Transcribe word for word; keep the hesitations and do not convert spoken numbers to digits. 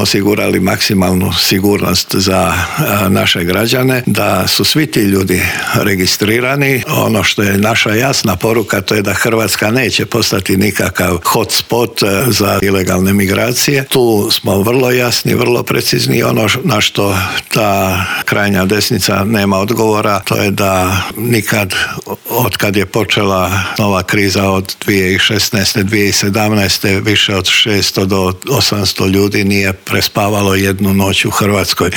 osigurali maksimalnu sigurnost za naše građane, da su svi ti ljudi registrirani. Ono što je naša jasna poruka, to je da Hrvatska neće postati nikakav hotspot za ilegalne migracije. Tu smo vrlo jasni, vrlo precizni. Ono na što ta krajnja desnica nema odgovora, to je da nikad, od kad je počela nova kriza od dvije tisuće šesnaeste. dvije tisuće sedamnaeste. više od šesto do osamsto ljudi nije prespavalo jednu noć u Hrvatskoj.